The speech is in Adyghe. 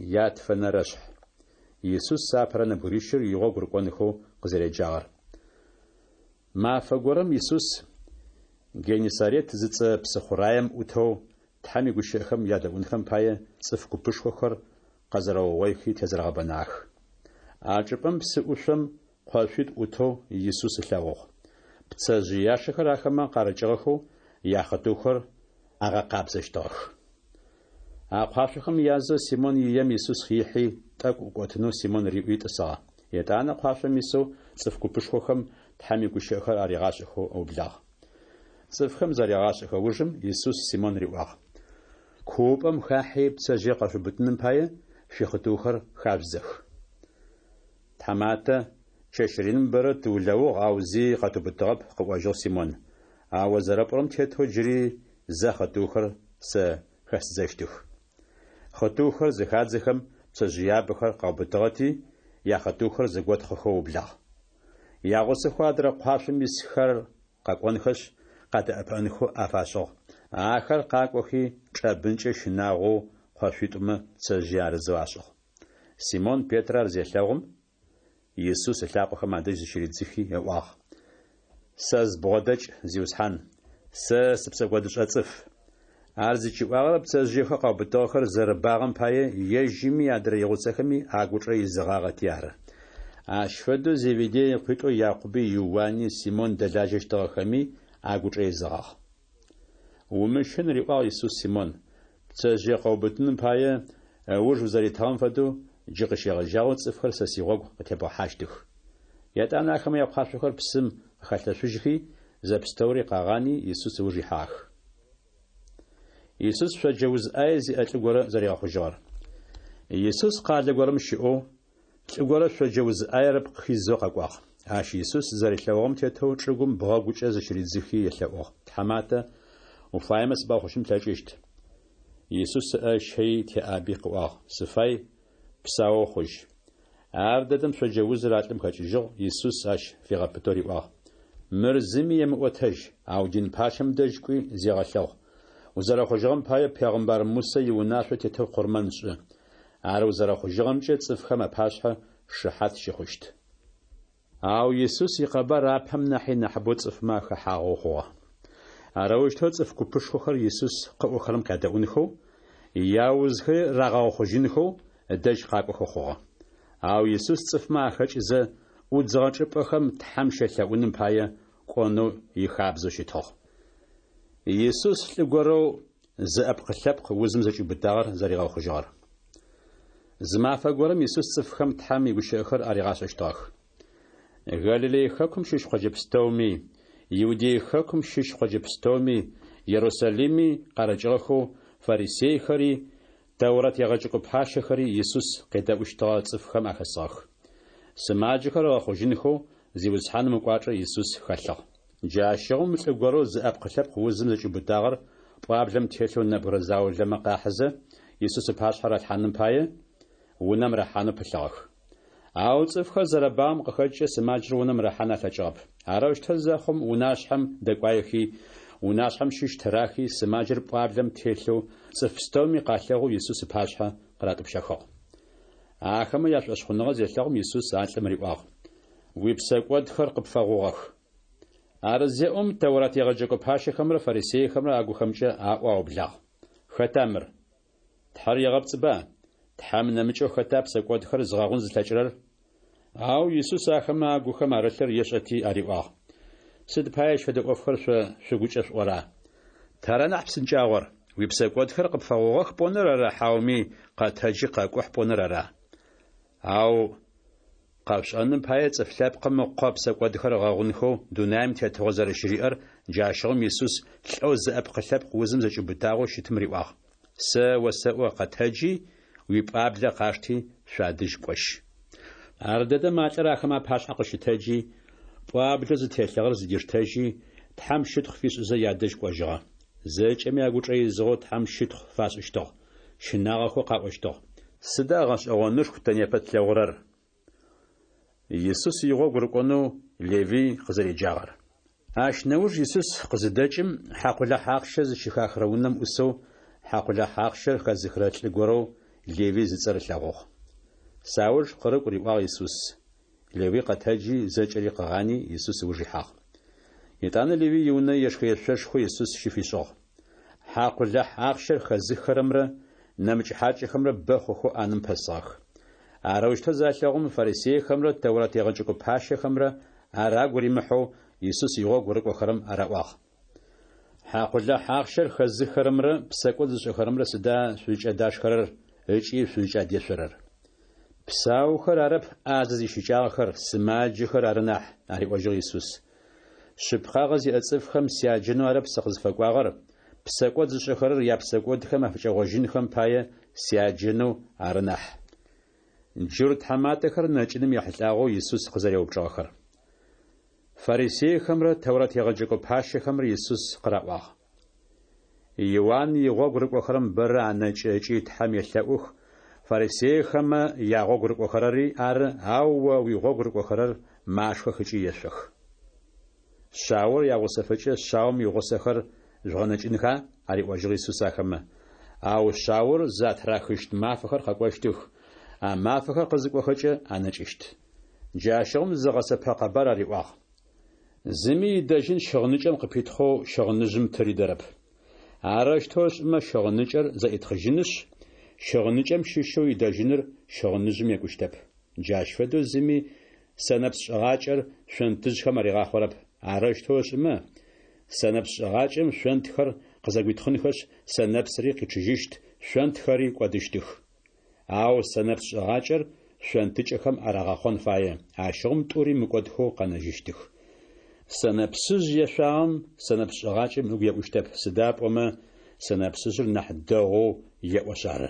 Ятфэнэрэшъхь. Исус апэрэ нэбгырищыр игъогу рыкӏонхэу къызэреджагъэр. Мафэ горэм Исус Геннисарет зыцӏэ псыхъураем ӏутэу Тхьэм игущыӏэхэм ядэӏунхэм пае цӏыф купышхохэр къэзэрэугъоихи тезэрэгъэбэнагъэх. А чӏыпӏэм псы ӏушъом къошъуитӏу ӏутэу Исус ылъэгъугъ. Пцэжъыяшэхэр ахэмэ къарыкӏыгъэхэу яхъытыухэр агъэкъабзэщтыгъэх. А къуашъохэм язэу Симон ием Исус ихьи, тӏэкӏу ӏукӏотынэу Симон риӏуи тӏысыгъэ. Етӏанэ къуашъом исэу цӏыф купышхохэм Тхьэм игущыӏэхэр аригъашӏэхэу ыублагъ. Цӏыфхэм зарегъашӏэхэ ужым Исус Симон риӏуагъ: Куупӏэм хахьи пцэжъые къэшъуубытыным пае шъуихъытыухэр хажъудзэх. Тхьаматэ, чэщ реным бэрэ тыулэугъ, ау зи къэтыубытыгъэп, къыӏожьыгъ Симон. Ау о зэрэпӏорэм тетэу джыри зэ хъытыухэр сэ хэсыдзэщтых. Хъытыухэр зыхадзэхэм, пцэжъыябэхэр къаубытыгъэти, яхъытыухэр зэготхъыхэу ыублагъ. Ягъусэхэу адрэ къуашъом исхэр къэкӏонхэшъ, къадэӏэпыӏэнхэу афашӏыгъ. Ахэр къакӏохи, чӏэбынкӏэ щынагъоу къошъуитӏумэ пцэжъые арызэу ашӏыгъ. Симон Петрэ ар зелъэгъум, Исус ылъакъохэм адэжь зыщыридзыхи ыӏуагъ: Сэ збгъодэкӏ, Зиусхьан, сэ сыпсэкӏодышӏэ цӏыф. Ар зыкӏиӏуагъэр пцэжъыехэу къаубытыгъэхэр зэрэбагъэм пае ежьыми адрэ игъусэхэми агучӏэ изыгъагъэти ары. Ащ фэдэу Зеведей ыкъуитӏоу Якъуби Иуани Симон дэлажьэщтыгъэхэми агучӏэ изыгъагъ. Умыщын, риӏуагъ Исус Симон, пцэжъые къэуубытыным пае ыуж узэритыгъэм фэдэу джы къыщегъэжьагъэу цӏыфхэр сэ сигъогу къытебгъэхьащтых. Етӏанэ ахэмэ якъуашъохэр псым къыхалъэшъужьхи, зэпстэури къагъани, Исус ыуж ихьагъэх. Исус шъоджэ уз ӏае зиӏэ лӏы горэ зэригъэхъужьыгъэр. Исус къалэ горэм щыӏэу, лӏы горэ шъоджэ уз ӏаер ыпкъ хизэу къэкӏуагъ. Ащ Исус зэрилъэгъугъэм тетэу чӏыгум бгъэгукӏэ зыщыридзыхи елъэӏугъ: Тхьаматэ, уфаемэ сыбгъэхъужьын плъэкӏыщт. Исус ыӏэ ыщэий теӏаби къыӏуагъ: Сыфай, псаоу хъужь. Ар дэдэм шъоджэ узыр а лӏым хэкӏыжьыгъ, Исус ащ фигъэпытэу риӏуагъ: Мыр зыми емыӏотэжь, ау дин пащэм дэжь кӏуи зегъэлъэгъу. Узэрэхъужьыгъэм пае пегъымбар Мусэ иунашъо тетэу къурмэн шӏы. Ар узэрэхъужьыгъэмкӏэ цӏыфхэм апашъхьэ шыхьат щыхъущт. Ау Исус икъэбар апэм нахьи нахьыбэу цӏыфмэ ахэхьагъэу хъугъэ. Арэущтэу цӏыф купышхохэр Исус къыӏохэрэм къядэӏунхэу, яузхэри рагъэгъэхъужьынхэу ыдэжь къакӏохэу хъугъэ. Ау Исус цӏыфмэ ахэкӏызэ, ӏудзыгъэ чӏыпӏэхэм Тхьэм щелъэӏуным пае кӏонэу ихабзэу щытыгъ. Исус лӏы горэу зы ӏэпкъ-лъэпкъ узым зэкӏиубытагъэр зэригъэхъужьыгъэр. Зы мафэ горэм Исус цӏыфхэм Тхьэм игущыӏэхэр аригъашӏэщтыгъэх. Галилей хэкум щыщ къоджэ пстэуми, Иудей хэкум щыщ къоджэ пстэуми, Ерусалими къарыкӏыгъэхэу фарисейхэри, Тэурэт егъэджэкӏо пащэхэри Исус къедэӏущтыгъэ цӏыфхэм ахэсыгъэх. Сымаджэхэр ыгъэхъужьынхэу Зиусхьаным ыкӏуачӏэ Исус хэлъыгъ. Джащыгъум лӏы горэу зыӏэпкъ-лъэпкъ узым зэкӏиубытагъэр пӏуаблэм телъэу нэбгырэ заулэмэ къахьызэ, Исус ыпашъхьэ ралъхьаным пае, унэм рахьанэу пылъыгъэх. Ау цӏыфхэр зэрэбагъэм къыхэкӏкӏэ сымаджэр унэм рахьан алъэкӏыгъэп. Арэущтэу зэхъум, унашъхьэм дэкӏуаехи, унашъхьэм щыщ тырахи, сымаджэр пӏуаблэм телъэу цӏыф пстэуми къалъэгъоу Исус ыпашъхьэ къыратӏупщэхыгъ. Ахэмэ яшӏошъхъуныгъэ зелъэгъум, Исус а лӏым риӏуагъ: Уипсэкӏодхэр къыпфэгъугъэх. Ар зеӏом, Тэурат егъэджэкӏо пащэхэмрэ фарисейхэмрэ агухэмкӏэ аӏоу аублагъ: Хэта мыр? Тхьэр егъэпцӏыба? Тхьэм нэмыкӏэу хэта псэкӏодхэр зыгъэгъун зылъэкӏырэр? Ау Исус ахэмэ агухэм арылъыр ешӏэти ариӏуагъ: Сыд пае ащ фэдэ ӏофхэр шъо шъугукӏэ шъуӏора? Тара нахь псынкӏагъор, уипсэкӏодхэр къыпфэгъугъэх пӏоныр ара хьауми къэтэджи къэкӏухь пӏоныр ара? Ау къэшъушӏэным пае Цӏыф Лъэпкъым Ыкъо псэкӏодхэр ыгъэгъунхэу дунаим тетыгъо зэрэщыриӏэр джащыгъум Исус лӏэу зыӏэпкъ-лъэпкъ узым зэкӏиубытагъэу щытым риӏуагъ: Сэ осэӏо, къэтэджи, уипӏуаблэ къашти, шъуадэжь кӏожь. Ардэдэм а лӏыр ахэмэ апашъхьэ къыщытэджи, пӏуаблэу зытелъыгъэр зыдиштэжьи, Тхьэм щытхъу фишӏызэ ядэжь кӏожьыгъэ. Зэкӏэми агучӏэ изыгъэу Тхьэм щытхъу фашӏыщтыгъ, щынагъэхэу къаӏощтыгъ: Сыда гъэшӏэгъонышху тэ непэ тлъэгъурэр? Исус игъогу рыкӏонэу Левый къызэреджагъэр. Ащ нэуж Исус къызыдэкӏым, хьакъулахь ахъщэ зыщыхахырэ унэм ӏусэу, хьакъулахь ахъщэр хэзыхырэ лӏы горэу Левый зыцӏэр ылъэгъугъ. Сауж къырыкӏу, риӏуагъ Исус. Левый къэтэджи, зэкӏэри къыгъани, Исус ыуж ихьагъ. Етӏанэ Левый иунэ ешхэешъошхо Исус щыфишӏыгъ. Хьакъулахь ахъщэр хэзыххэрэмрэ нэмыкӏ хьакӏэхэмрэ бэ хъухэу ӏанэм пэсыгъэх. Арэущтэу залъэгъум, фарисейхэмрэ Тэурат егъэджэкӏо пащэхэмрэ ар агу римыхьэу Исус игъогу рыкӏохэрэм араӏуагъ. Хьакъулахь ахъщэр хэзыххэрэмрэ псэкӏод зышӏэхэрэмрэ сыда шъузкӏадашхэрэр ыкӏи шъузкӏадешъорэр? Псаухэр арэп ӏазэ зищыкӏагъэхэр, сымаджэхэр ары нахь, ариӏожьыгъ Исус. Шъыпкъагъэ зиӏэ цӏыфхэм сяджэнэу арэп сыкъызфэкӏуагъэр, псэкӏод зышӏэхэрэр япсэкӏодхэм афыкӏэгъожьынхэм пае сяджэнэу ары нахь. Джурт тхьаматэхэр нэкӏыным ехьылӏагъэу Исус къызэреупчӏыгъэхэр. Фарисейхэмрэ Тэурат егъэджэкӏо пащэхэмрэ Исус къыраӏуагъ. Иуан игъогу рыкӏохэрэм бэрэ анэкӏы ыкӏи Тхьэм елъэӏух, фарисейхэмэ ягъогу рыкӏохэрэри ары, ау о уигъогу рыкӏохэрэр машхэх ыкӏи ешъох. Шъаор ягъусэфэкӏэ шъаом игъусэхэр жъугъэнэкӏынха? ариӏожьыгъ Исус ахэмэ. Ау шъаор затырахыщт мафэхэр къэкӏощтых, а мафэхэр къызыкӏохэкӏэ анэкӏыщт. Джащыгъум зы гъэсэпэ къэбар ариӏуагъ. Зыми идэжьын щыгъыныкӏэм къыпитхъэу щыгъыныжъым тыридэрэп. Арэущтэу ышӏымэ, щыгъыныкӏэр зэӏитхъыжьынышъ, щыгъыныкӏэм щыщэу идэжьыныр щыгъыныжъым екӏущтэп. Джащ фэдэу зыми сэнэпс шӏыгъакӏэр шъонтыжъхэм аригъахъорэп. Арэущтэу ышӏымэ, сэнэпс шӏыгъакӏэм шъонтхэр къызэгуитхъынхэшъ, сэнэпсри къичъыжьыщт, шъонтхэри кӏодыщтых. Ау сэнэпс шӏыгъакӏэр шъонтыкӏэхэм арагъэхъон фае, ащыгъум тӏури мыкӏодхэу къэнэжьыщтых. Сэнэпсыжъ ешъуагъэм сэнэпс шӏыгъакӏэм ыгу еӏущтэп, сыда пӏомэ сэнэпсыжъыр нахь дэгъоу еӏошъ ары.